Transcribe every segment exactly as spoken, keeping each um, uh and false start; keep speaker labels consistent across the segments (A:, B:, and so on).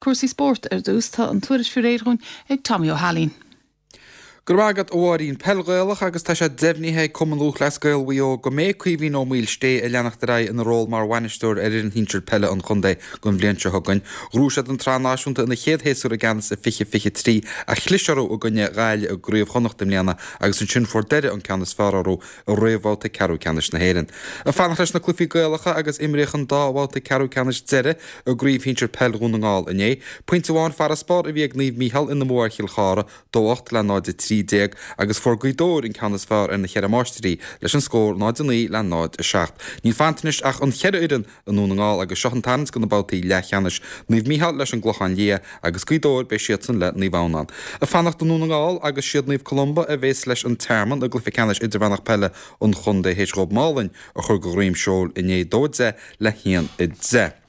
A: Cúrsaí spóirt ar dtús tá an tuairisc faoi réir dhúinn ag Tommy Ó hAilín.
B: Go raibh maith agat a Mháirín Peil Ghaelach agus tá sé deimhnithe ag Cumann Lúthchleas Gael Mhaigh Eo go mbeidh Caoimhín Ó Maoilsté ag leanacht ar aghaidh ina ról mar bhainisteoir ar fhoireann shinsir peile an chontae don bhliain seo chugainn. Ghnóthaigh siad an tsraith náisiúnta ina chéad shéasúr i gceannas i fiche fiche trí ach chlis orthu i gcoinne Ghaillimh i gCraobh Chonnacht i mbliana agus ansin fuair Doire an ceann is fearr orthu i réamhbhabhta ceathrú ceannais na hÉireann. Ag fanacht leis na cluichí Gaelacha agus imríodh an dá bhabhta ceathrú ceannais deiridh i gCraobh Shinsir Peil Dhún na nGall inné. Pointe amháin farasbarr a bhí ag Naomh Mícheál ina mbua ar Chill Chartha, dó ocht le náid a trí déag agus fuair Gaoth Dobhair an ceann is fearr ar na Ceithre Máistrí leis an scór náid a naoi le náid a seacht. Níl fanta anois ach an cheithre fhoireann i nDún na nGall agus seo an tarraingt do na babhtaí leathcheannais, Naomh Mícheál leis an gClochán Liath agus Gaoth Dobhair beidh siadsan le Naomh Adhamhnáin. Ag fanacht i nDún na nGall agus siad Naomh Columba a bhéas leis an Tearmann i gcluiche ceannais idirmheánach peile an chontae théis dhóibh Málainn a chur de dhroim seoil inné dó a deich le haon a deich.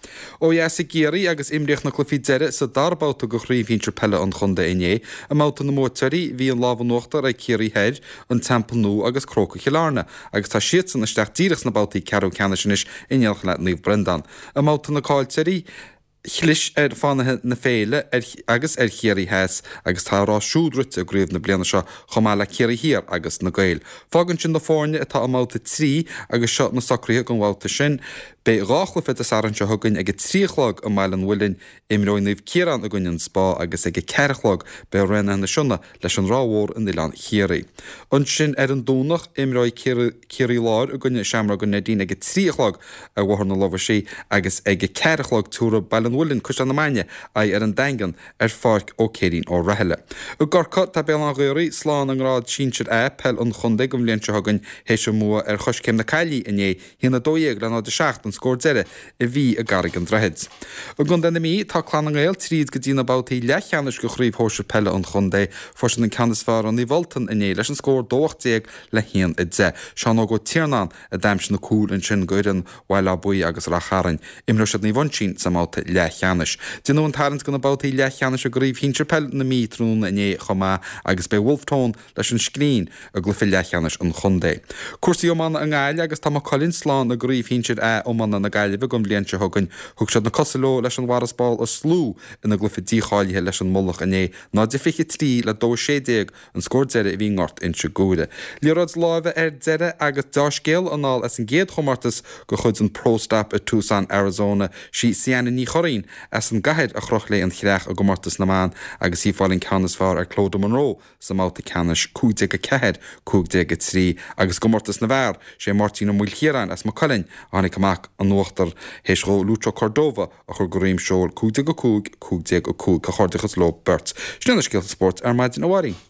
B: Ó dheas i gCiarraí agus imríodh na cluichí deiridh sa dara babhta de Chraobh Shinsir Peile an Chontae inné. I mbabhta na mbuaiteoirí, bhí an lámh in uachtar ag Ciarraí Thoir, An Teampall Nua agus Crócaigh Chill Airne agus tá siadsan isteach díreach sna babhtaí ceathrú ceannais anois in éineacht le Naomh Breandán. I mbabhta na caillteoirí, chlis ar Fánaithe na Féile ar agus ar Chiarraí Theas agus tá a rás siúd rite i gcraobh na bliana seo chomh maith le Ciarraí Thiar agus na Gaeil. Fágann sin na foirne atá i mbabhta trí agus seo na socruithe don bhabhta sin. Beidh dhá chluiche Dé Sathairn seo chugainn ag a trí a chlog i mBaile an Mhuilinn, imreoidh Naomh Ciarán i gcoinne an Spá agus ag a ceathair a chlog beidh Raonaithe na Sionna leis an Ráth Mhór in Oileán Chiarraí. Ansin ar an Domhnach imreoidh Ciarraí Láir i gcoinne Seamróga Neidín ag a trí a chlog ar Bhóthar na Lobhaisí agus ag a ceathair a chlog tabharfaidh Baile an Mhuilinn, Caisleán na Mainge aghaidh ar an Daingean ar Pháirc Ó Céirín Ó Rathaille. I gCorcaigh tá Béal Átha an Ghaorthaidh slán i ngrád sinsir A peil an chontae don bhliain seo chugainn théis a mbua ar Choiscéim na Caillí inné, a haon a dó dhéag le náid a seacht an scór deiridh a bhí i gCarraig an Droichid. I gContae na Mí tá Clann na nGael tríd go dtí na babhtaí leathcheannais de Chraobh Shóisir Peile an Chontae. Fuair siad an ceann is fearr ar Naomh Ultan inné leis an scór dó ocht déag le haon a deich. Seán Óg Ó Tiarnáin a d'aimsigh na cúil ansin do fhoireann Bhaile Átha Buí agus Rath Chairn. Imreoidh siad Naomh Uinseann sa mbabhta leathcheannais. Déanadh an tarraingt do na babhtaí leathcheannais i gCraobh Shinsir Peil na Mí tráthnóna inné chomh maith agus beidh Wolfe Tone leis an Scrín i gcluiche leathcheannais an chontae. Cúrsaí iomána i nGaillimh agus tá Maigh Cuilinn slán i gCraobh Shinsir A iomána na Gaillimhe don bhliain seo chugainn. Thug siad na cosa leo leis an bhfarasbarr a shlú ina gcluiche dícháilithe leis an Mullach inné, náid a fiche trí le dó a sé déag an scór deiridh a bhí i nGort Inse Guaire. Liathróid láimhe ar deireadh agus deá-scéala anall as an gcéad chomórtas de chuid an Pro Stop i Tucson, Arizona. Sí Sianna Ní Churraoin as an gcathair a chroch léi an chreach i gcomórtas na mban agus í ag fáil an ceann is fearr ar Clodagh Monroe sa mbabhta ceannais, cúig déag a ceathair, cúig déag a trí, agus i gcomórtas na bhfear, sé Máirtín Ó Maoilchiaráin as Maigh Cuilinn a tháinig amach in uachtar théis dhó Lucho Cordova a chur de dhroim seoil, cúig déag a cúig, cúig déag a cúig. Comhghairdeachas leo beirt. Sin iad na scéalta spóirt ar maidin, a Mháirín.